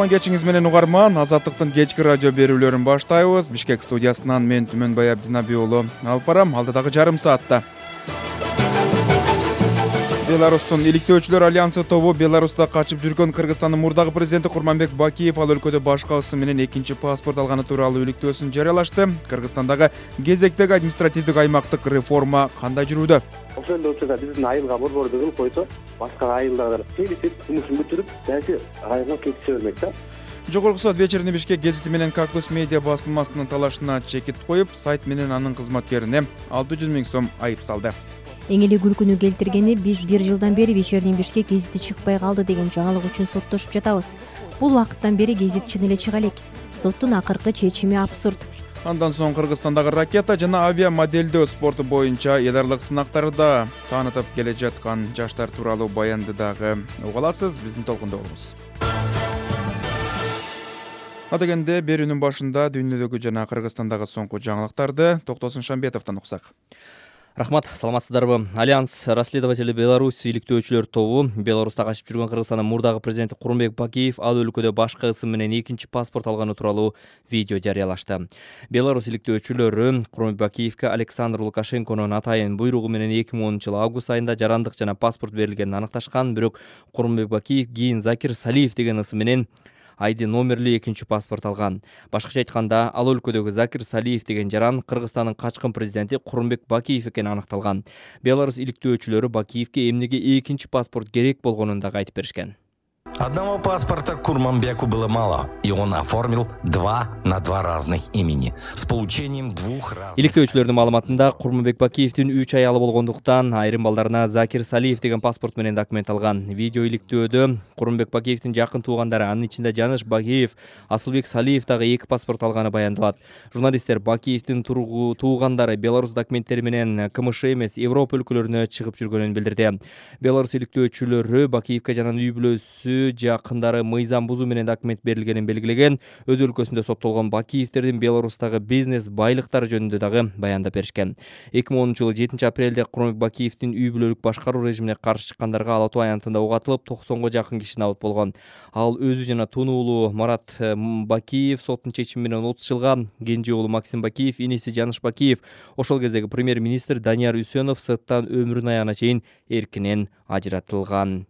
кутман кечиңиз менен угарман. Азаттыктын кечки радио берүүлөрүн баштайбыз. Бишкек студиясынан мен Түмөнбай Абдинаби уулу алып барам. Алдыдагы жарым саатта Беларустун иликтөөчүлөр альянсы тобу Беларуста качып жүргөн Кыргызстандын мурдагы президенти Курманбек Бакиев ал өлкөдө башка ысы менен экинчи паспорт алганы тууралуу иликтөөсүн жарыялашты. Кыргызстандагы кезектеги административдик аймактык реформа кандай жүрүүдө? Ошондой учурда биздин айылга борбор кылып койсо, башка айылдар келип жумушун бүтүрүп, дайсы айылга кетише бермек да. Жогорку сот вечерний Бишкек гезити менен Кактус медиа басылмасынын талашына чекит коюп, сайт менен анын кызматкерине 600 000 сом айып салды. Эң эле күлкүнү келтиргени биз 1 жылдан бери вечерний Бишкек гезити чыкпай калды деген жаңылык үчүн соттошуп жатабыз. Бул убакыттан бери гезит чын эле чыга элек. Соттун акыркы чечими абсурд. Андан соң Кыргызстандагы ракета жана авиа моделдөө спорту боюнча эл аралык сынактарды таанытып келе жаткан жаштар тууралуу баянды дагы уга аласыз. Биздин толкунда болуңуз. Адегенде берүүнүн башында дүйнөдөгү жана Кыргызстандагы соңку жаңылыктарды Токтосун Шамбетовдон уксак. Рахмат, саламатсыздарбы? Альянс расследователи Беларусь иликтөөчүлөр тобу Беларуста качып жүргөн Кыргызстандын мурдагы президенти Курманбек Бакиев ал өлкөдө башка ысым менен экинчи паспорт алганы тууралуу видео жарыялашты. Беларусь иликтөөчүлөрү Курманбек Бакиевке Александр Лукашенконун атайын буйругу менен 2010 август айында жарандык жана паспорт берилгенин аныкташкан, бирок Курманбек Бакиев кийин Закир Салиев деген ысым менен айди номерлүү экинчи паспорт алган. Башкача айтканда, ал өлкөдөгү Закир Салиев деген жаран Кыргызстандын качкын президенти Курманбек Бакиев экени аныкталган. Беларусь иликтөөчүлөрү Бакиевке эмнеге экинчи паспорт керек болгонун дагы айтып беришкен. Одного паспорта Курманбеку было мало, и он оформил 2 на 2 разных имени с получением 2 разных. Иликтөөчүлөрдүн маалыматында Курманбек Бакиевдин 3 аялы болгондуктан айрым балдарына Закир Салиев деген паспорт менен документ алган. Видео иликтөөдө Курманбек Бакиевдин жакын туугандары, анын ичинде Жаныш Бакиев, Асылбек Салиев дагы 2 паспорт алганы баяндалат. Журналисттер Бакиевдин туугандары Беларусь документтери менен КМШ эмес Европа өлкөлөрүнө чыгып жүргөнүн билдирди. Беларусь иликтөөчүлөрү Бакиевке жана үй бүлөсү жакындары мыйзам бузуу менен документ берилгенин белгилеген. Өз өлкөсүндө соттолгон Бакиевдердин Беларустагы бизнес байлыктары жөнүндө дагы баяндап беришкен. 2010-жылы 7 апрелде Курманбек Бакиевдин үй бүлөлүк башкаруу режимине каршы чыккандарга Ала Тоо аянтында ок атылып, 90го жакын киши набыт болгон. Ал өзү жана тунуу уулу Марат Бакиев соттун чечими менен 30 жылга, кенже уулу Максим Бакиев, иниси Жаныш Бакиев, ошол кездеги премьер-министр Данияр Үсөнов сырттан өмүрүнүн аягына чейин эркинен ажыратылган.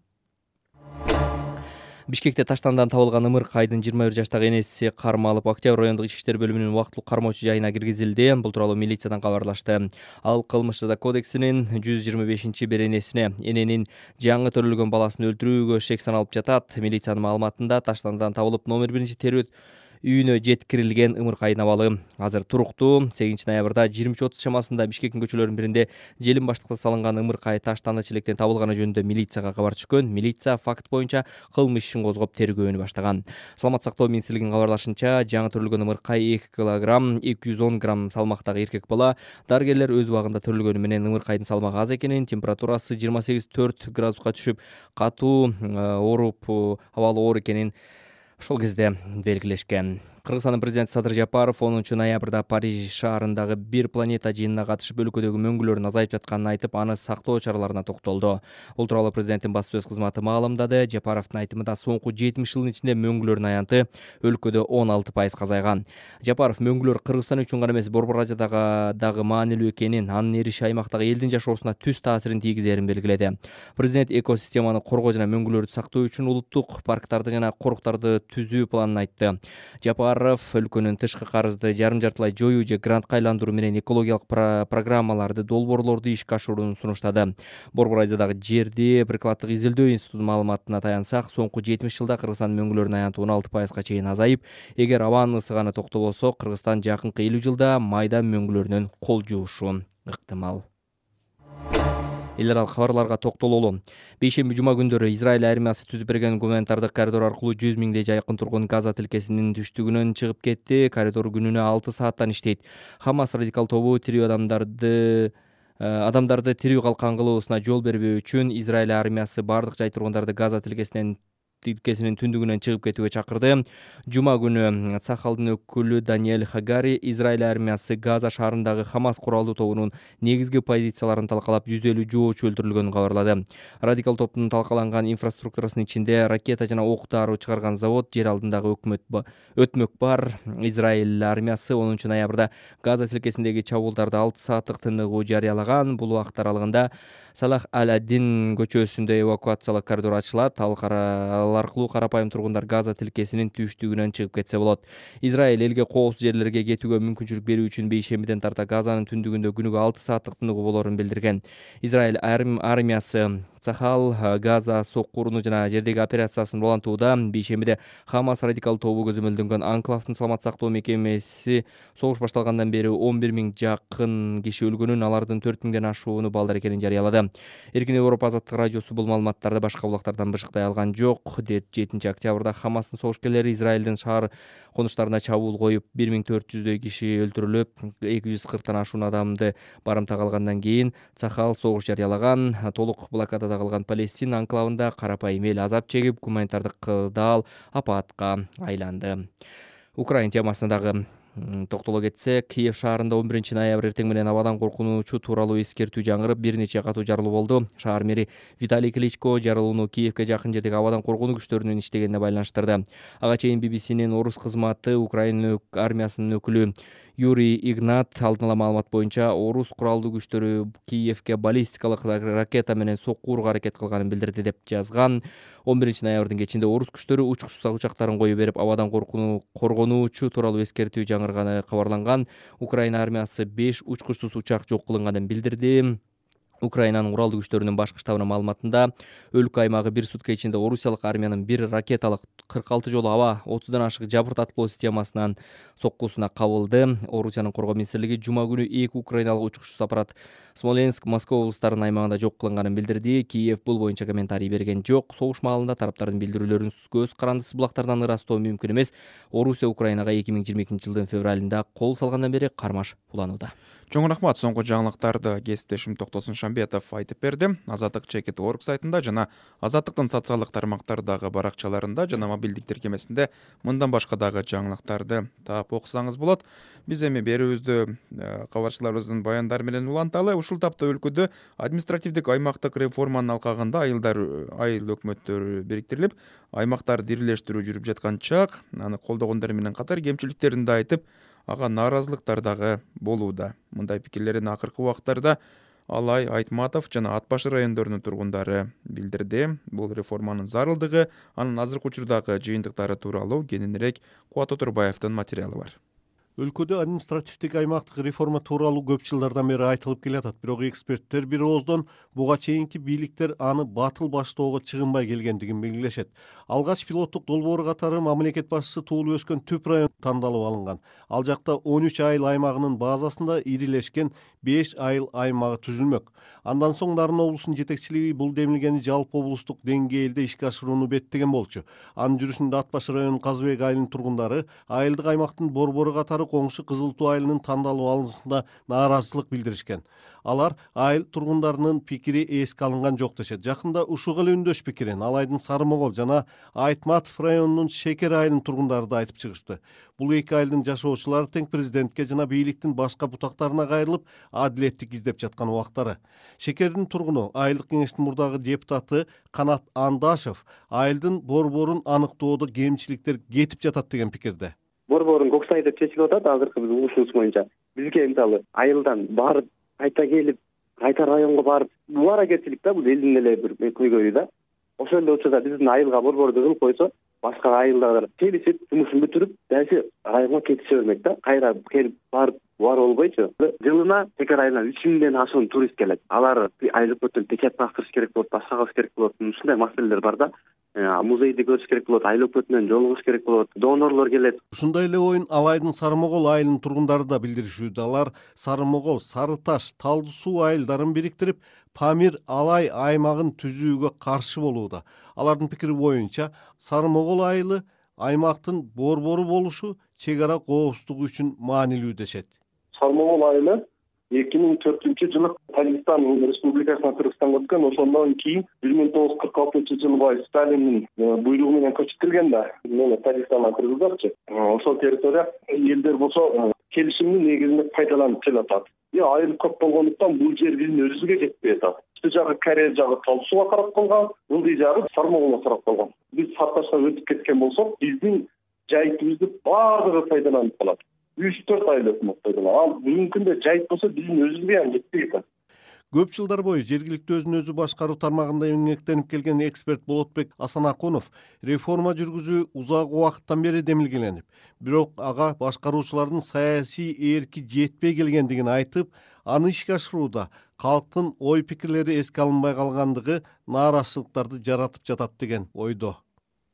Бишкекте таштандан табылган Ымыркайдын 21 жаштагы энеси кармалып, Октябрь райондук ички иштер бөлүмүнүн убактылуу кармоочу жайына киргизилди. Бул тууралуу милициядан кабарлашты. Ал кылмыш жаза кодексинин 125-беренесине эненин жаңы төрөлгөн баласын өлтүрүүгө шек саналып жатат. Милициянын маалыматында таштандан табылып номер 1 терөт үйүнө жеткирилген Ымыркайдын абалы азыр туруктуу. 8 ноябрда 23:30 чамасында Бишкектин көчөлөрүнүн биринде желим баштыкта салынган Ымыркай таштанды челектен табылганы жөнүндө милицияга кабар түшкөн. Милиция факт боюнча кылмыш ишин козгоп тергөөнү баштаган. Саламат сактоо министрлигинин кабарлашынча, жаңы төрөлгөн Ымыркай 2 килограмм 210 грамм салмактагы эркек бала. Дарыгерлер өз убагында төрөлгөнү менен Ымыркайдын салмагы аз экенин, температурасы 28,4 градуска түшүп, катуу ооруп, абалы оор экенин ошол кезде белгилешкен. Кыргызстандын президенти Садыр Жапаров 10 ноябрда Париж шаарындагы бир планета жыйынына катышып өлкөдөгү мөңгүлөрдүн азайып жатканын айтып, аны сактоо чараларына токтолду. Бул тууралуу президенттин баспасөз кызматы маалымдады. Жапаровдун айтымында соңку 70 жылдын ичинде мөңгүлөрдүн аянты өлкөдө 16% азайган. Жапаров мөңгүлөр Кыргызстан үчүн гана эмес, Борбор Азиядагы дагы маанилүү экенин, анын эриши аймактагы элдин жашоосуна түз таасирин тийгизерин белгиледи. Президент экосистеманы коргоо жана мөңгүлөрдү сактоо үчүн улуттук парктарды жана коруктарды түзүү планын айтты. Жапаров өлкөнүн тышкы карызды жарым-жартылай жоюу же грантка айландыруу менен экологиялык программаларды, долбоорлорду ишке ашырууну сунуштады. Борбор Азиядагы жерди прикладдык изилдөө институтунун маалыматына таянсак, соңку 70 жылда Кыргызстандын мөңгүлөрүнүн аянты 16% чейин азайып, эгер абанын ысыганы токтобосо, Кыргызстан жакынкы 50 жылда майда мөңгүлөрүнөн кол жуушу ыктымал. Эл аралык кабарларга токтололу. Бейшемби жума күндөрү Израиль армиясы түзүп берген гуманитардык коридор аркылуу 100 000 жакын тургун Газа тилкесинин түштүгүнөн чыгып кетти. Коридор күнүнө 6 сааттан иштейт. Хамас радикал тобу тирүү адамдарды тирүү калкан кылуусуна жол бербөө үчүн Израиль армиясы бардык жай тургундарды Газа тилкесинен тилкесинин түндүгүнөн чыгып кетүүгө чакырды. Жума күнү Цахалдын өкүлү Даниэль Хагари Израиль армиясы Газа шаарындагы Хамас куралдуу тобунун негизги позицияларын талкалап 150 жоочу өлтүрүлгөнүн кабарлады. Радикал топтун талкаланган инфраструктурасынын ичинде ракета жана ок дароо чыгарган завод, жер алдындагы өтмөк бар. Израиль армиясы 10 ноябрда Газа тилкесиндеги чабуулдарды 6 сааттык тыныгуу жарыялаган. Бул убакыт аралыгында Салах аль-Аддин көчөсүндө эвакуациялык коридор ачылат. Ал аркылуу карапайым тургундар Газа тилкесинин түштүгүнөн чыгып кетсе болот. Израиль элге коопсуз жерлерге кетүүгө мүмкүнчүлүк берүү үчүн бейшембиден тарта Газанын түндүгүндө күнүгө 6 сааттык тыныгуу болоорун билдирген. Израиль армиясы Цахал Газа соккуруну жана жердеги операциясын улантууда. Бейшембиде Хамас радикал тобу көзөмөлдөнгөн анклавдын саламат сактоо мекемеси согуш башталгандан бери 11 000 жакын киши өлгөнүн, алардын 4 000ден ашууну балдар экенин жарыялады. Эркин Европа азаттык радиосу бул маалыматтарды башка булактардан бышыктай алган жок. 7 октябрда Хамастын согушкерлери Израилдин шаар конуштарына чабуул коюп, 1400дөй киши өлтүрүлүп, 240тан ашуун адамды барымтага алгандан кийин Цахал согуш жарыялаган. Толук блокадада калган Палестина анклавында карапайым эл азап чегип, гуманитардык кырдаал апатка айланды. Украина темасына дагы токтоло кетсек, Киев шаарында 11 ноябрь эртең менен абадан коркунучу тууралуу эскертүү жаңырып, бир нече катуу жарылуу болду. Шаар мэри Виталий Кличко жарылууну Киевке жакын жердеги абадан коргонуу күчтөрүнүн иштегенине байланыштырды. Ага чейин BBC-нин орус кызматы Украина армиясынын өкүлү Юрий Игнат алдын ала маалымат боюнча орус куралдуу күчтөрү Киевке баллистикалык ракета менен соккууга аракет кылганын билдирди деп жазган. 11 ноябрдын кечинде орус күчтөрү учкучсуз учактарын коюп берип, абадан коргонуучу тууралуу эскертүү жаңырганы кабарланган. Украина армиясы 5 учкучсуз учак жок кылынганын билдирди. Украинанын куралдуу күчтөрүнүн башкы штабынын маалыматында өлкө аймагы бир сутка ичинде орусиялык армиянын бир ракеталык 46 жолу аба 30дан ашык жабырт аткылоо системасынын соккусуна кабылды. Орусиянын коргоо министрлиги жума күнү 2 украиналык учкучсуз аппарат Смоленск, Москва облустарынын аймагында жок кылынганын билдирди. Киев бул боюнча комментарий берген жок. Согуш маалында тараптардын билдирүүлөрүн көз карандысыз булактардан ырастоо мүмкүн эмес. Орусия Украинага 2022-жылдын февралында кол салгандан бери кармаш уланууда. Чоң рахмат. Соңку жаңылыктарды кесиптешим Токтосун Шамбетов айтып берди. Азаттык checit.org сайтында жана Азаттыктын социалдык тармактардагы баракчаларында жана мобилдик тиркемесинде мындан башка дагы жаңылыктарды таап окусаңыз болот. Биз эми берүүбүздү кабарчыларыбыздын баяндары менен уланталы. Ушул тапта өлкөдө административдик аймактык реформанын алкагында айыл өкмөттөрү бириктирилип, аймактар дирилештирүү жүрүп жаткан чак, аны колдогондор менен катар кемчиликтерин да айтып, ага нааразылыктар дагы болууда. Мындай пикирлерин акыркы убакыттарда Алай, Айтматов жана Ат башы райондорунун тургундары билдирди. Бул реформанын зарылдыгы, анын азыркы учурдагы жыйынтыктары тууралуу кененирээк Кубат Отурбаевдин материалы бар. Өлкөдө административдик аймактык реформа тууралуу көп жылдардан бери айтылып келатат. Бирок эксперттер бир ооздон буга чейинки бийликтер аны батыл баштоого чыгынбай келгендигин белгилешет. Алгач пилоттук долбоор катары мамлекет башчысы туулуп өскөн Түп район тандалып алынган. Ал жакта 13 айыл аймагынын базасында ирилешкен 5 айыл аймагы түзүлмөк. Андан соң Нарын облусунун жетекчилиги бул демилгени жалпы облустук деңгээлде ишке ашырууну беттеген болчу. Анын жүрүшүндө Ат башы районунун Казыбек айылынын тургундары айылдык аймактын борбору катары коңшу Кызыл Туу айылынын тандалып алынышында нааразычылык билдиришкен. Алар айыл тургундарынын пикири эске алынган жок дешет. Жакында ушуга эле үндөш пикирин Алайдын Сарымогол жана Айтматов районунун Шекер айылынын тургундары да айтып чыгышты. Бул эки айылдын жашоочулары тең президентке жана бийликтин башка бутактарына кайрылып, адилеттик издеп жаткан убактары. Шекердин тургуну айылдык кеңештин мурдагы депутаты Канат Андашев айылдын борборун аныктоодо кемчиликтер кетип жатат деген пикирде. Борборун Коксай деп чечилип атат азыркы биздин ушунубуз боюнча. Бизге мисалы айылдан барып кайта келип, кайта районго барып, бул аракетчилик да, бул элдин эле бир көйгөйү да. Ошол эле учурда биздин айылга борборду кылып койсо, башка айылдар келишип, жумушун бүтүрүп, дайсы районго кетише бермек да. Кайра келип барып бар болбойчу. Жылына Шекер айылынан 3000ден ашуун турист келет. Алар айыл өкмөттөн печать бастырыш керек болот, башка кылыш керек болот. Ушундай маселелер бар да. Музейди көрүш керек болот, айыл өкмөтү менен жолугуш керек болот, донорлор келет. Ушундай эле оюн Алайдын Сарымогол айылынын тургундары да билдиришүүдө. Алар Сарымогол, Сары Таш, Талды суу айылдарын бириктирип, Памир Алай аймагын түзүүгө каршы болууда. Алардын пикири боюнча, Сарымогол айылы аймактын борбору болушу чек ара коопсуздугу үчүн маанилүү дешет. Сарымогол айылы 2004-жылы Тажикстан Республикасына Кыргызстанга өткөн. Ошондон кийин 1946-жылы Сталиндин буйругу менен көчүрүлгөн да. Мына Тажикстандан кыргыздарчы. Ошол территория элдер болсо келишимдин негизинде пайдаланып келатат. Айыл көп болгондуктан бул жер биздин өзүбүзгө жетпей атат. Үстү жагы Корея жагы Талас сууга карап калган, ылдый жагы Сармогулга карап калган. Биз Сарташка өтүп кеткен болсок, биздин жайытыбызды баардыгы пайдаланып калат. 3-4 айыл өкмөт пайдаланат. Ал бүгүнкү күндө жайыт болсо биздин өзүбүзгө аны жетпей атат. Көп жылдар бою жергиликтүү өзүн өзү башкаруу тармагында эмгектенип келген эксперт Болотбек Асанакунов реформа жүргүзүү узак убакыттан бери демилгеленип, бирок ага башкаруучулардын саясий эрки жетпей келгендигин айтып, аны ишке ашырууда калктын ой пикирлери эске алынбай калгандыгы нааразычылыктарды жаратып жатат деген ойдо.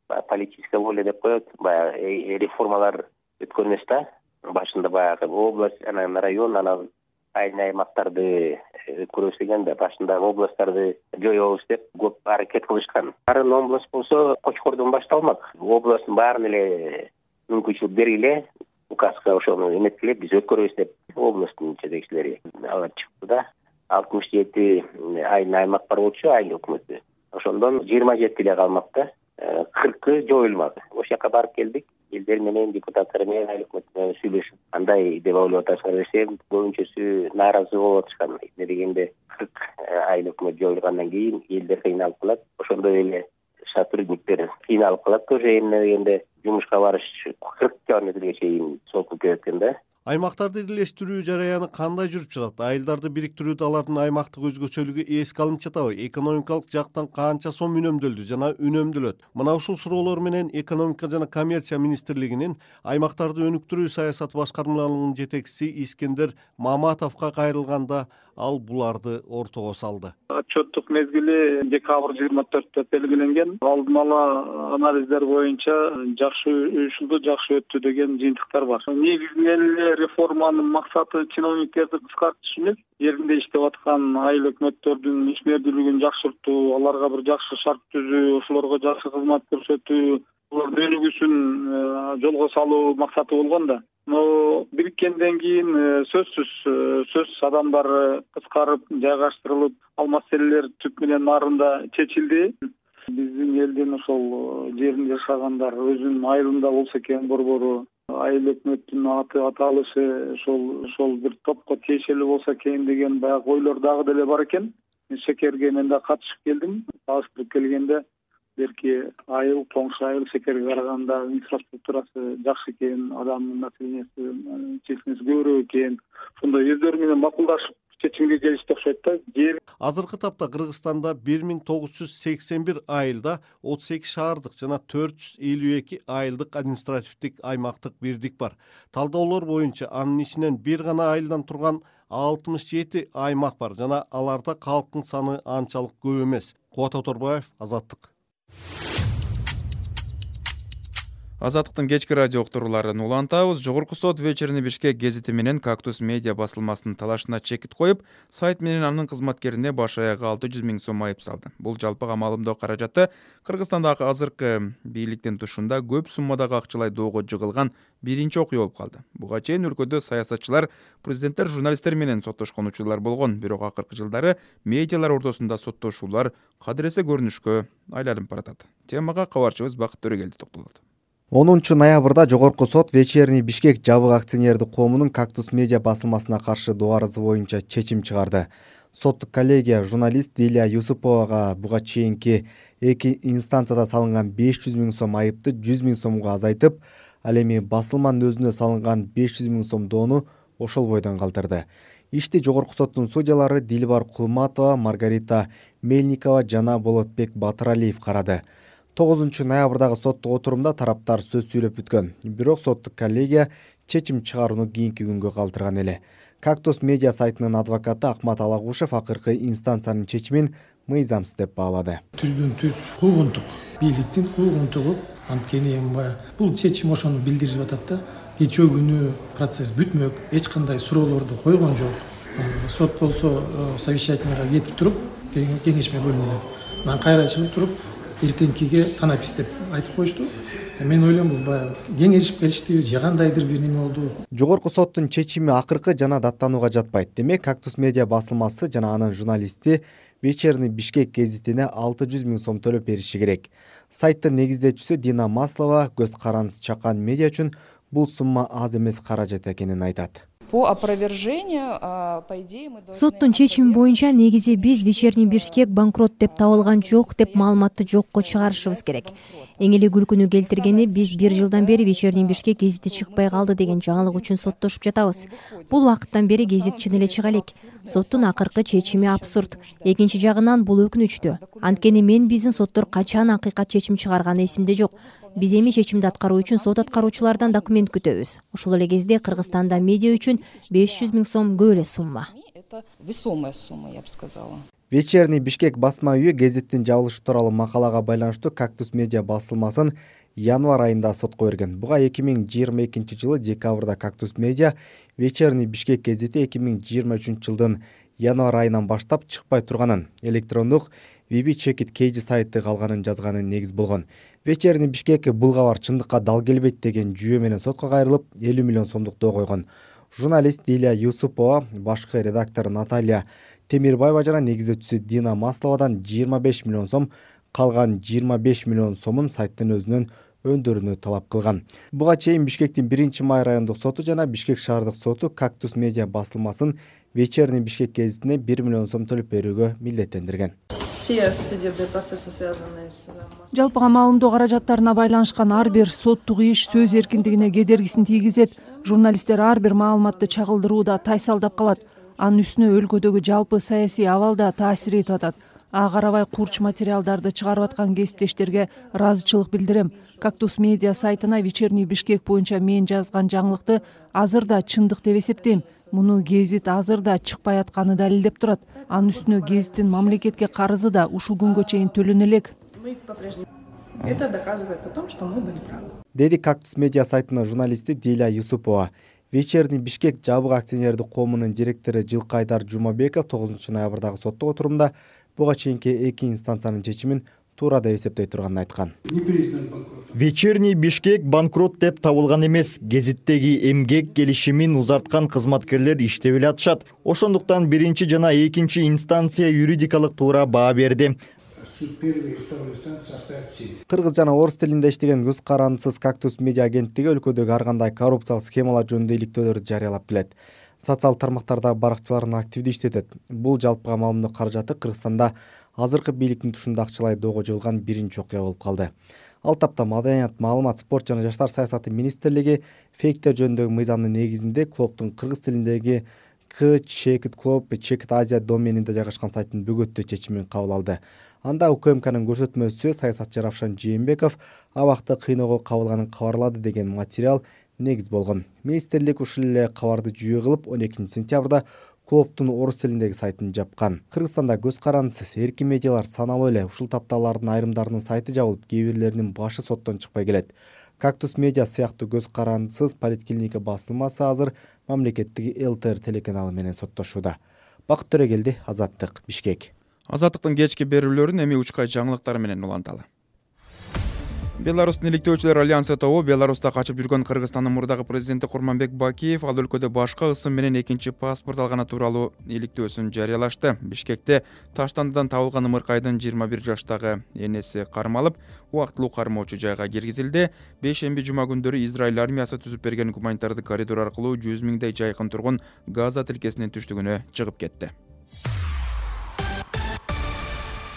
Политическая воля деп коет, баягы реформалар өткөн эмес да. Башында баягы область, анан район, анан аймактарды өткөрөбүз деген да. Башында областтарды жоёбуз деп көп аракет кылышкан. Арын область болсо Кочкордон башталмак. Областтын баарын эле мүмкүнчүлүк бергиле, указга ошону эметкиле, биз өткөрөбүз деп областтын жетекчилери алар чыкты да. 67 аймак бар болчу, айыл өкмөтү. Ошондон 27 эле калмак да. 40 жоюлмак. Ошол жака барып келдик. Элдер менен, депутаттар менен, айыл өкмөтү менен сүйлөшүп, андай деп ойлоп атышкан десем, көбүнчөсү нааразы болуп атышкан. Эмне дегенде 40 айыл өкмөт жоюлгандан кийин элдер кыйналып калат. Ошондой эле сотрудниктер кыйналып калат. Уже эмне дегенде жумушка барыш 40 километрге чейин сокуп кеткен да. Аймактарды бирлештирүү жараяны кандай жүрүп жатат? Айылдарды бириктирүүдө алардын аймактык өзгөчөлүгү эске алынып жатабы? Экономикалык жактан канча сом үнөмдөлдү жана үнөмдөлөт? Мына ушул суроолор менен Экономика жана коммерция министрлигинин аймактарды өнүктүрүү саясаты башкармалыгынын жетекчиси Искендер Маматовго кайрылганда ал буларды ортого салды. Отчеттук мезгили декабрь 24-тө белгиленген. Алдын ала анализдер боюнча жакшы уюшулду, жакшы өттү деген жыйынтыктар бар. Негизинен реформанын максаты чиновниктерди кыскартыш эмес, жеринде иштеп аткан айыл өкмөттөрдүн ишмердүүлүгүн жакшыртуу, аларга бир жакшы шарт түзүү, ошолорго жакшы кызмат көрсөтүү, алардын өнүгүүсүн жолго салуу максаты болгон да. Но бириккенден кийин сөзсүз адамдар кыскарып, жайгаштырылып, ал маселелер түп менен нарында чечилди. Биздин элдин ошол жеринде жашагандар өзүнүн айылында болсо экен борбору, айыл өкмөттүн аты аталышы ошол бир топко тиешелүү болсо экен деген баягы ойлор дагы деле бар экен. Шекерге мен да катышып келдим. Салыштырып келгенде берки айыл, тоңшу айыл шекерге караганда инфраструктурасы жакшы экен, адамдын населениясы чечмеси көбүрөөк экен. Ошондой өздөрү менен макулдашып чечимге келишти окшойт да. Азыркы тапта Кыргызстанда 1981 айылда 32 шаардык жана 452 айылдык административдик аймактык бирдик бар. Талдаулор боюнча анын ичинен бир гана айылдан турган 67 аймак бар жана аларда калктын саны анчалык көп эмес. Кубат Оторбаев, Азаттык. Азаттыктын кечки радио уктурууларын улантабыз. Жогорку сот Вечерний Бишкек гезити менен Кактус медиа басылмасынын талашына чекит коюп, сайт менен анын кызматкерине баш аягы 600 000 сом айып салды. Бул жалпы камалымдоо каражаты Кыргызстандагы азыркы бийликтин тушунда көп суммадагы акчалай доого жыгылган биринчи окуя болуп калды. Буга чейин өлкөдө саясатчылар, президенттер, журналисттер менен соттошкон учурлар болгон, бирок акыркы жылдары медиалар ортосунда соттошуулар кадыресе көрүнүшкө айланып баратат. Темага кабарчыбыз Бакыт Төрөгелди токтолот. 10-ноябрда Жогорку сот Вечерний Бишкек жабык акционердик коомунун Кактус медиа басылмасына каршы доо арызы боюнча чечим чыгарды. Соттук коллегия журналист Дилия Юсуповага буга чейинки 2 инстанцияда салынган 500 000 сом айыпты 100 000 сомго азайтып, ал эми басылманын өзүнө салынган 500 000 сом доону ошол бойдон калтырды. Ишти Жогорку соттун судьялары Дилбар Кулматова, Маргарита Мельникова жана Болотбек Батыралиев карады. 9-ноябрдагы соттук отурумда тараптар сөз сүйлөп бүткөн. Бирок соттук коллегия чечим чыгарууну кийинки күнгө калтырган эле. Кактус медиа сайтынын адвокаты Акмат Алагушев акыркы инстанциянын чечимин мыйзамсыз деп баалады. Түздөн-түз куугунтук, бийликтин куугунтугу, анткени бул чечим ошону билдирип атат да. Кечээ күнү процесс бүтмөк, эч кандай суроолорду койгон жок. Сот болсо совещательныйга кетип туруп, кеңешме бөлүмүнө. Мен кайра чыгып туруп эртеңкиге танапис деп айтып коюшту. Мен ойлойм бул баягы кеңешип келишти же кандайдыр бир неме болду. Жогорку соттун чечими акыркы жана даттанууга жатпайт. Демек, Кактус медиа басылмасы жана анын журналисти Вечерний Бишкек гезитине 600 000 сом төлөп бериши керек. Сайттын негиздечүүсү Дина Маслова көз карандысыз чакан медиа үчүн бул сумма аз эмес каражат экенин айтат. По опровержению, по идее, мы должны... Соттун чечими боюнча негизи биз Вечерний Бишкек банкрот деп табылган жок деп маалыматты жокко чыгарышыбыз керек. Эң эле күлкүнү келтиргени биз 1 жылдан бери Вечерний Бишкек гезити чыкпай калды деген жаңылык үчүн соттошуп жатабыз. Бул убакыттан бери гезит чын эле чыга элек. Соттун акыркы чечими абсурд. Экинчи жагынан бул өкүнүчтүү. Анткени мен биздин соттор качан акыйкат чечим чыгарганы эсимде жок. Биз эми чечимди аткаруу үчүн сот аткаруучулардан документ күтөбүз. Ошол эле кезде Кыргызстанда медиа үчүн 500 000 сом көп эле сумма. Это весомая сумма, я бы сказала. Вечерний Бишкек басма үйү гезиттин жабылышы тууралуу макалага байланыштуу Кактус медиа басылмасын январь айында сотко берген. Буга 2022 жылы декабрда Кактус медиа Вечерний Бишкек гезити 2023 жылдын январь айынан баштап чыкпай турганын, электрондук VB-Check-It KG сайты калганын жазганын негиз болгон. Вечерний Бишкек бул кабар чындыкка дал келбейт деген жүйө менен сотко кайрылып 50 миллион сомдук доо койгон. Журналист Дилия Юсупова, башкы редактор Наталья Темирбаева жана негиздөөчүсү Дина Масловадан 25 миллион сом, калган 25 миллион сомун сайттын өзүнөн өндүрүүнү талап кылган. Буга чейин Бишкектин 1-май райондук соту жана Бишкек шаардык соту Кактус медиа басылмасын Вечерний Бишкек гезитине 1 миллион сом төлөп берүүгө милдеттендирген. Все судебные процессы, связанные с... Жалпыга маалымдоо каражаттарына байланышкан ар бир соттук иш сөз эркиндигине кедергисин тийгизет. Журналисттер ар бир маалыматты чагылдырууда тайсалдап калат. Анын үстүнө өлкөдөгү жалпы саясий абалда таасир этип атат. Ага карабай курч материалдарды чыгарып аткан кесиптештерге ыраазычылык билдирем. Кактус медиа сайтына Вечерний Бишкек боюнча мен жазган жаңылыкты азыр да чындык деп эсептейм. Муну гезит азыр да чыкпай атканы далилдеп турат. Анын үстүнө гезиттин мамлекетке карызы да ушул күнгө чейин төлөнө элек. Это доказывает о том, что мы были правы. Деди Кактус медиа сайтынын журналисти Дилия Юсупова. Вечерний Бишкек жабык акционердик коомунун директору Жылкайдар Жумабеков 9 ноябрдагы соттук отурумда буга чейинки 2 инстанциянын чечимин туура деп эсептей турганын айткан. Вечерний Бишкек банкрот деп табылган эмес. Гезиттеги эмгек келишимин узарткан кызматкерлер иштеп эле атышат. Ошондуктан 1 жана 2 инстанция юридикалык туура баа берди. Кыргыз жана орус тилинде иштеген көз карандысыз Кактус медиа агенттиги өлкөдөгү ар кандай коррупциялык схемалар жөнүндө иликтөөлөрдү жарыялап келет. Социалдык тармактардагы баракчыларын активдүү иштетет. Бул жалпыга маалымдоо каражаты Кыргызстанда азыркы бийликтин тушунда акчалай доого жылган биринчи окуя болуп калды. Ал тапта Маданият, маалымат, спорт жана жаштар саясаты министрлиги фейктер жөнүндөгү мыйзамдын негизинде клубдун кыргыз тилиндеги Check-It Club, Check-It Asia доменинде жайгашкан сайттын бөгөттөө чечимин кабыл алды. Анда УКМКнын көрсөтмөсү саясатчы Равшан Жээнбеков абакта кыйноого кабылганын кабарлады деген материал негиз болгон. Министрлик ушул эле кабарды жүйө кылып 12 сентябрда клубдун орус тилиндеги сайтын жапкан. Кыргызстанда көз карандысыз эркин медиалар саналуу эле. Ушул тапталардын айрымдарынын сайты жабылып, кээ бирлеринин башы соттон чыкпай келет. Кактус медиа сыяктуу көз карандысыз поликлиника басылмасы азыр мамлекеттик ЛТР телеканалы менен соттошууда. Бакыт Төрөгелди, Азаттык, Бишкек. Азаттыктын кечки берүүлөрүн эми учкай жаңылыктар менен уланталы. Беларустун иликтөөчүлөр альянсы тобу Беларуста качып жүргөн Кыргызстандын мурдагы президенти Курманбек Бакиев ал өлкөдө башка ысым менен экинчи паспорт алганы тууралуу иликтөөсүн жарыялашты. Бишкекте Таштандыдан табылган ымыркайдын 21 жаштагы энеси кармалып, убактылуу кармоочу жайга киргизилди. Бейшемби жума күндөрү Израиль армиясы түзүп берген гуманитардык коридор аркылуу 100 000дей жайкын тургун Газа тилкесинин түштүгүнө чыгып кетти.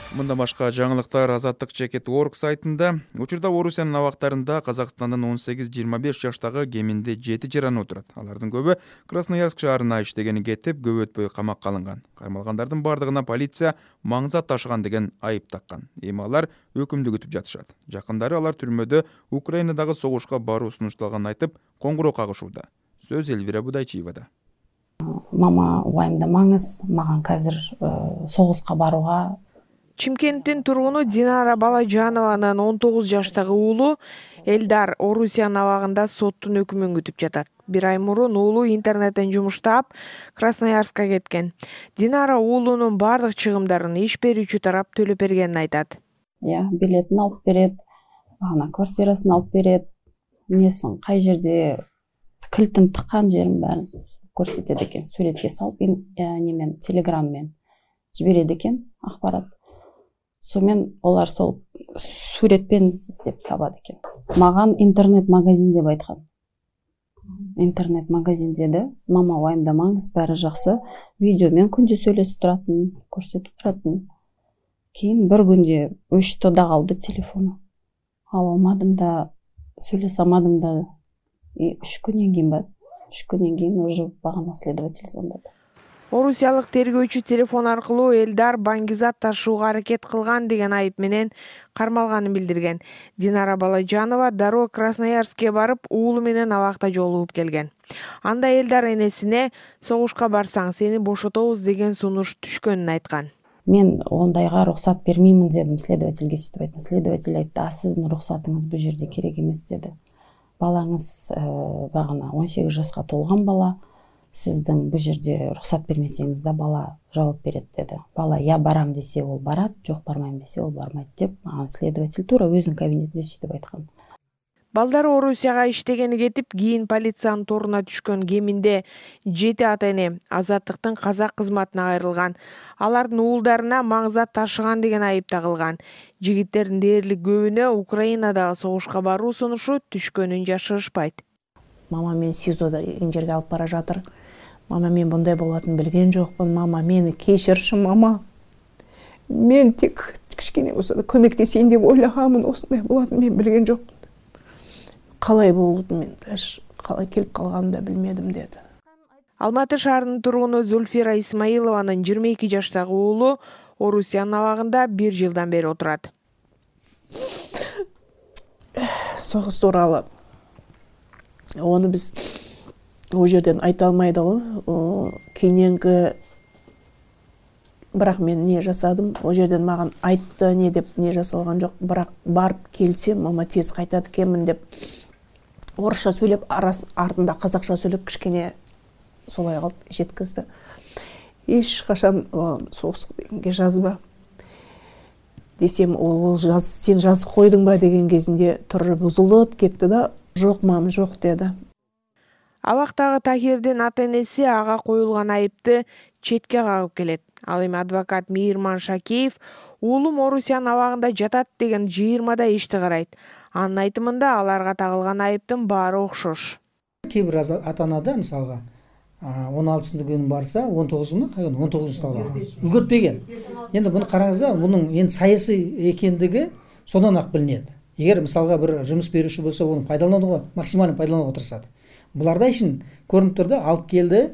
Мындан башка жаңылыктар Азаттык Check-It.org сайтында. Учурда Орусиянын абактарында Казакстандын 18-25 жаштагы кеминде 7 жараны отурат. Алардын көбү Красноярск шаарына иштегени кетип, көп өтпөй камакка алынган. Кармалгандардын бардыгына полиция маңзат ташыган деген айып таккан. Эми алар өкүмдү күтүп жатышат. Жакындары алар түрмөдө Украинадагы согушка баруу сунушталганын айтып, коңгуроо кагышууда. Сөз Элвира Будайчиевада. Мама, уайымдамаңыз, маган казыр согуска барууга. Чимкенттин тургуну Динара Балажанованын 19 жаштагы уулу Элдар Орусиянын абагында соттун өкүмүн күтүп жатат. Бир ай мурун уулу интернеттен жумуштап Красноярска кеткен. Динара уулунун бардык чыгымдарын иш берүүчү тарап төлөп бергенин айтат. билетин алып берет, квартирасын алып берет, эмнесин кай жерде килтин тыккан жерин баарын көрсөтөт экен. Сүрөткө салып немен телеграммен жиберет экен акпарат. Сонымен олар сол сүрөтпен издеп табат экен. Маган интернет-магазин деп айткан. Интернет-магазин деди. Мама, уайымдамаңыз, баары жакшы. Видеомен күндө сүйлөшүп туратын, көрсөтүп туратын. Кийин бир күндө өчтү да калды телефону. Ала алмадым да, сүйлөшө алмадым да. 3 күндөн кийин уже багана следователь звондады. Орусиялык тергөөчү телефон аркылуу Элдар Баңгизат ташууга аракет кылган деген айып менен кармалганын билдирген. Динара Балажанова дароо Красноярскке барып, уулу менен абакта жолугуп келген. Анда Элдар энесине согушка барсаң сени бошотобуз деген сунуш түшкөнүн айткан. Мен ондайга уруксат бермеймин дедим, следовательге сүйтүп айттым. Следователь айтты: "Сиздин уруксатыңыз бул жерде керек эмес" деди. Балаңыз багына 18 жашка толгон бала. Сиздин бул жерде уруксат бермесеңиз да бала жооп берет деди. Бала я барам десе ол барат, жок бармайм десе ол бармайт деп, следователь туура өзүнүн кабинетинде сүйтүп айткан. Балдары Орусияга иштегени кетип, кийин полициянын торуна түшкөн кеминде 7 ата-эне Азаттыктын казак кызматына кайрылган. Алардын уулдарына маңзат ташыган деген айып тагылган. Жигиттердин дээрлик көбүнө Украинадагы согушка баруу сунушу түшкөнүн жашырышпайт. Мама мен СИЗОдо эн жерге алып бара жатыр. Мама, мен мындай болотун билген жокмун. Мама, мени кечирчи, мама. Мен тек кичкене болсо да көмөктесейин деп ойлаганмын, осундай болотун мен билген жокмун. Калай болду, мен калай келип калганымды да билмедим деди. Алматы шаарынын тургуну Зульфира Исмаилованын 22 жаштагы уулу Орусиянын абагында 1 жылдан бери отурат. Согуш тууралуу onu biz o жерден айта алмайды го. Кийинки бирок мен не жасадым, о жерден маган айтты не деп не жасалган жок, бирок барып келсем мама тез кайтат экенмин деп орусча сүйлөп, артында казакча сүйлөп кичкене солай кылып жеткизди. Эч качан согушка жазба десем, ол сен жазып койдуң ба деген кезинде туру бузулуп кетти да, жок мам, жок деди. Абактагы Тахирдин ата-энеси ага коюлган айыпты четке кагып келет. Ал эми адвокат Мейирман Шакеев уулум Орусиянын абагында жатат деген 20да ишти карайт. Анын айтымында аларга тагылган айыптын баары окшош. Кээ бир ата-анада мисалга 16-күнү барса 19-му, 19 талга үлгөртпеген. Енді буну караңызда, бунун эми саясий экендиги сондан ак билинет. Эгер мисалга бир жумуш берүүчү болсо, муну пайдаланууга, максималдуу пайдаланууга тырышат. Буларда ишин көрүнүп тур да, алып келди,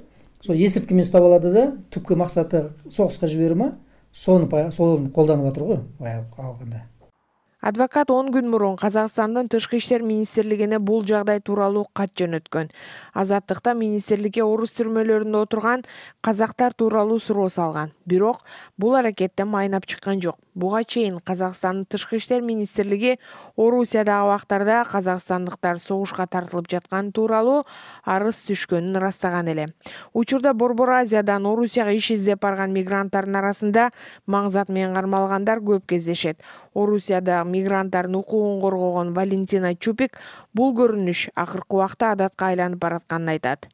сол эсирткимен уктап алады да, түпкү максаты согуска жиберүү ма, сону колданып атыр го, алганда. Адвокат 10 күн мурун Казакстандын Тышкы иштер министрлигине бул жагдай тууралуу кат жөнөткөн. Азаттыкта министрликке орус түрмөлөрүндө отурган казактар тууралуу суроо салган. Бирок бул аракеттен майнап чыккан жок. Буга чейин Казакстандын Тышкы иштер министрлиги Орусиядагы убактарда казакстандыктар согушка тартылып жаткан тууралуу арыз түшкөнүн ырастаган эле. Учурда Борбор Азиядан Орусияга иш издеп барган мигранттардын арасында маңзат менен кармалгандар көп кездешет. Орусияда мигранттардын укугун коргогон Валентина Чупик бул көрүнүш акыркы убакта адатка айланып баратканын айтат.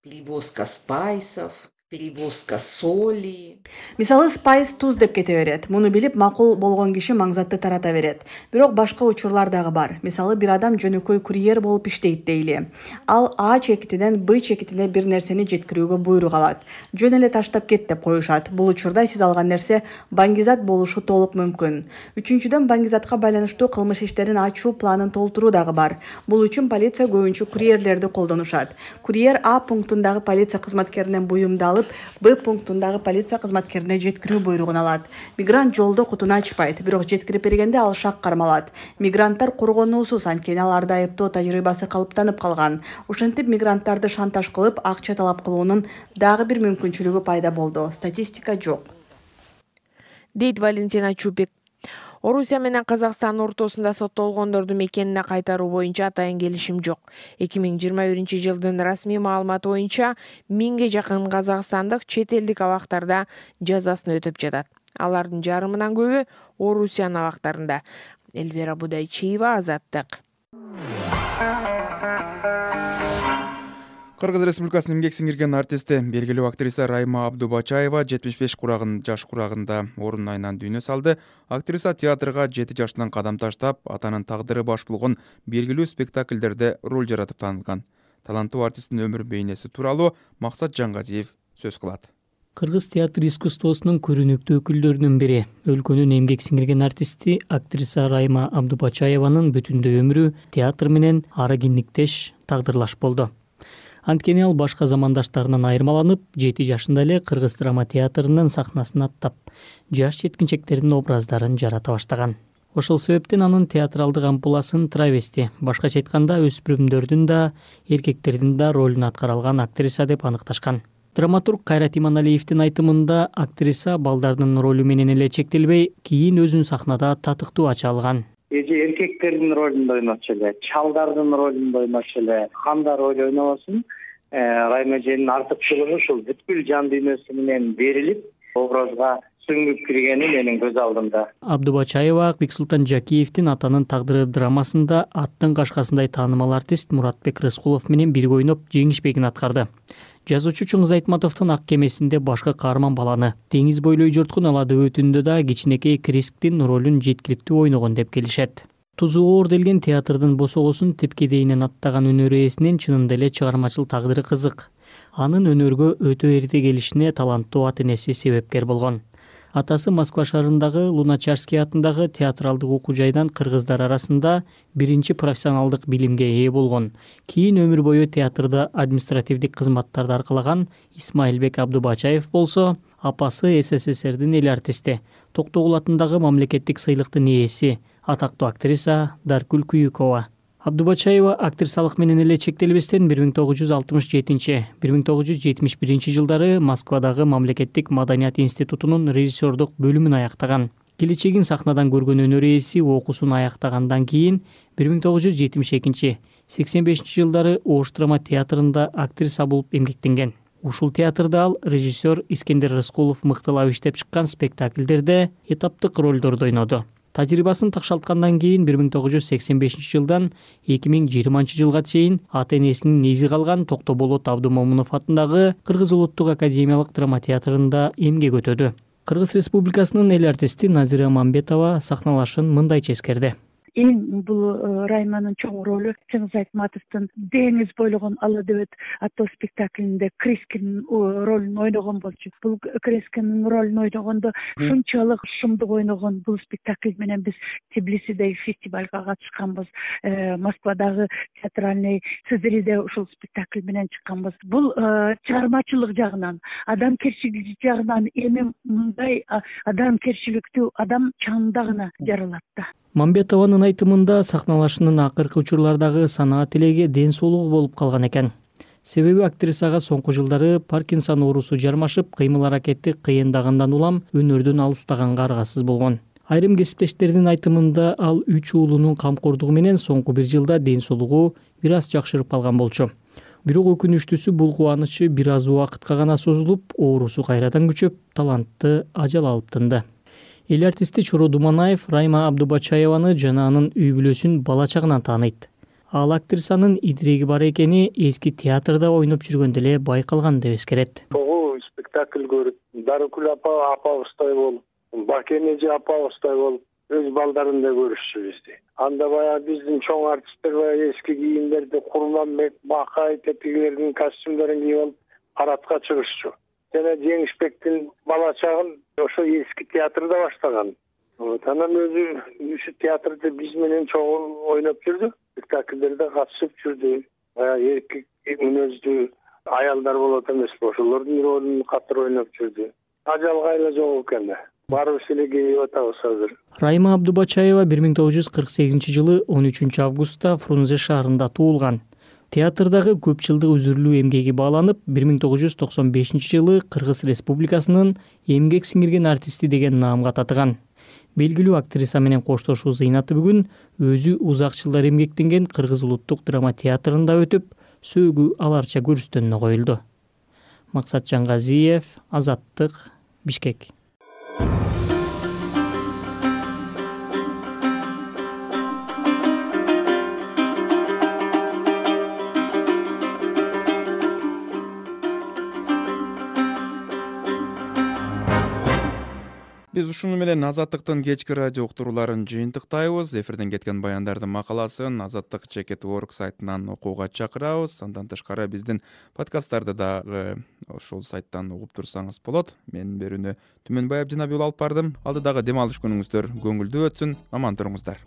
Перевозка спайсов, перевозка соли. Мисалы спайс туз деп кете берет. Муну билип макул болгон киши маңзатты тарата берет. Бирок башка учурлар дагы бар. Мисалы бир адам жөнөкөй курьер болуп иштейт дейли. Ал А чекитинен Б чекитине бир нерсени жеткирүүгө буйрук алат. Жөн эле таштап кет деп коюшат. Бул учурда сиз алган нерсе баңгизат болушу толук мүмкүн. Үчүнчүдөн, баңгизатка байланыштуу кылмыш иштерин ачуу планын толтуруу дагы бар. Бул үчүн полиция көбүнчө курьерлерди колдонушат. Курьер А пунктундагы полиция кызматкеринен буюмду алып, Б пунктундагы полиция кызматкерине жеткирүү буйругун алат. Мигрант жолдо кутуну ачпайт, бирок жеткирип бергенде ал шак кармалат. Мигранттар коргонуусуз, анткени аларда айыптоо тажрыйбасы калыптанып калган. Ошентип мигранттарды шантаж кылып, акча талап кылуунун дагы бир мүмкүнчүлүгү пайда болду. Статистика жок, дейт Валентина Чупик. Орусия менен Казакстан ортосунда соттолгондорду мекенине кайтаруу боюнча атайын келишим жок. 2021-жылдын расмий маалыматы боюнча 1000ге жакын казакстандык чет элдик абактарда жазасын өтөп жатат. Алардын жарымынан көбү Орусиянын абактарында. Эльвира Будайчиева, Азаттык. Кыргыз Республикасынын эмгек сиңирген артисти, белгилүү актриса Райма Абдубачаева 75 жаш курагында орун айынан дүйнө салды. Актриса театрга 7 жаштан кадам таштап, атанын тагдыры баш болгон белгилүү спектакльдерде роль жаратып таанылган. Таланттуу артисттин өмүр бейнеси тууралуу Максат Жаңгазиев сөз кылат. Кыргыз театр искусствосунун көрүнүктүү өкүлдөрүнүн бири, өлкөнүн эмгек сиңирген артисти актриса Райма Абдубачаеванын бүтүндөй өмүрү театр менен ары киниктеш, тагдырлаш болду. Анткени ал башка замандаштарынан айырмаланып, 7 жашында эле Кыргыз драма театрынын сахнасына аттап, жаш жеткинчектердин образдарын жарата баштаган. Ошол себептен анын театралдык ампуласын травести, башкача айтканда өспүрүмдөрдүн да, эркектердин да ролун аткара алган актриса деп аныкташкан. Драматург Кайрат Иманалиевдин айтымында актриса балдардын ролу менен эле чектелбей, кийин өзүн сахнада татыктуу ача алган. Эже эркектердин ролунда ойночу эле, чалдардын ролунда ойночу эле, кандай роль ойнобосун, Райма эженин артыкчылыгы ушул бүткүл жан дүйнөсү менен берилип, образга сүңгүп киргени менин көз алдымда. Абдубачаева Бексултан Жакиевдин Атанын тагдыры драмасында аттын кашкасындай таанымал артист Муратбек Рыскулов менен бирге ойноп, жеңишпегин аткарды. Жазуучу Чоңуз Айтматовдун Ак кемесинде башка каарман баланы, деңиз бойлой жорткун Алады өтүндө да кичинекей Крисктин ролун жеткиликтүү ойногон деп келишет. Тузу оор делген театрдын босогосун тепкедейинен аттаган өнөр ээсинин чынында эле чыгармачыл тагдыры кызык. Анын өнөргө өтө эрте келишине таланттуу ата энеси себепкер болгон. Атасы Москва шаарындагы Луначарский атындагы театралдык окуу жайдан кыргыздар арасында биринчи профессионалдык билимге ээ болгон. Кийин өмүр бою театрда административдик кызматтарды аркалаган Исмаилбек Абдубачаев болсо, апасы СССРдин эл артисти, Токтогул атындагы мамлекеттик сыйлыктын ээси, атактуу актриса Даркүл Күйүкова. Абдубачаева актрисалык менен эле чектелбестен 1967-1971 жылдары Москвадагы Мамлекеттик маданият институтунун режиссердук бөлүмүн аяктаган. Келечегин сахнадан көргөн өнөр ээси окуусун аяктагандан кийин 1972-85 жылдары Ош драма театрында актриса болуп эмгектенген. Ушул театрда ал режиссер Искендер Рыскулов мыктылап иштеп чыккан спектакльдерде этаптык ролдорду ойноду. Тажрыйбасын такшалткандан кийин 1985 жылдан 2020 жылга чейин ата энесинин изи калган Токтоболот Абдымомунов атындагы Кыргыз улуттук академиялык драма театрында эмгек өтөдү. Кыргыз Республикасынын эл артисти Назира Мамбетова сахналашын мындайча эскерди. Эң бул Райманын чоң ролу Чоңуз Айтматовдун деңиз бойлогон Алады өт аттуу спектаклинде Крискинин ролун ойногон болчу. Бул Крискинин ролун ойногондо ушунчалык шумдук ойногон бул спектакль менен биз Тбилисидеги фестивалга катышканбыз. Москвадагы театральный Цезариде ушул спектакль менен чыкканбыз. Бул чыгармачылык жагынан, адамгерчилик жагынан эми мындай адамгерчиликтүү адам чаңында гана жаралат да. Мамбетованын айтымында сахналашынын акыркы учурлардагы санаат тилеги ден соолугу болуп калган экен. Себеби актрисага соңку жылдары Паркинсон оорусу жармашып, кыймыл-аракети кыйындагандан улам өнөрдөн алыстаганга аргасыз болгон. Айрым кесиптештердин айтымында ал 3 уулунун камкордугу менен соңку 1 жылда ден соолугу бир аз жакшырып калган болчу. Бирок өкүнүчтүүсү бул кубанычы бир аз убакытка гана созулуп, оорусу кайрадан күчөп, талантты ажал алып тынды. Эл артисти Чоро Думанаев Райма Абдубачаеваны жана анын үй бүлөсүн бала чагынан тааныйт. Ал актрисанын идиреги бар экени эски театрда ойноп жүргөндө эле байкалган деп эскерет. Тогу спектакль көрүп, Дарыкүл апабыздай болуп, Бакен эже апабыздай болуп, өз балдарындай көрүшчү бизди. Анда баягы биздин чоң артисттер баягы эски кийимдерди, Курманбек, Бакай, тепкилердин костюмдорун кийип алып, парадка чыгышчу. Жана Жеңишбектин бала чагын ошо эски театрда баштаган. Анан өзү театрда биз менен чоң ойноп жүрдү, спектакльдерде катышып жүрдү. Баягы эркек мүнөздүү аялдар болот эмеспи, ошолордун ролун катыр ойноп жүрдү. Ажалга эле жок экен да. Барыбыз эле кейип атабыз азыр. Райма Абдубачаева 1948 жылы 13 августта Фрунзе шаарында туулган. Театрдагы көп жылдык үзүрүлүү эмгеги бааланып, 1995 жылы Кыргыз Республикасынын эмгек сиңирген артисти деген наамга татыган. Белгилүү актриса менен коштошуу зыйнаты бүгүн өзү узак жылдар эмгектенген Кыргыз улуттук драма театрында өтүп, сөөгү аларча көрүстөнүнө коюлду. Максат Жаңгазиев, Азаттык, Бишкек. Биз ушуну менен Азаттыктын кечки радио уктурууларын жыйынтыктайбыз. Эфирден кеткен баяндардын макаласын Азаттык /org сайтынан окууга чакырабыз. Андан тышкары биздин подкасттарды дагы ошол сайттан угуп турсаңыз болот. Менин берүүнү Түмөнбаев жана Бул алып бардым. Алдыдагы дем алыш күнүңүздөр көңүлдүү өтсүн. Аман туруңуздар.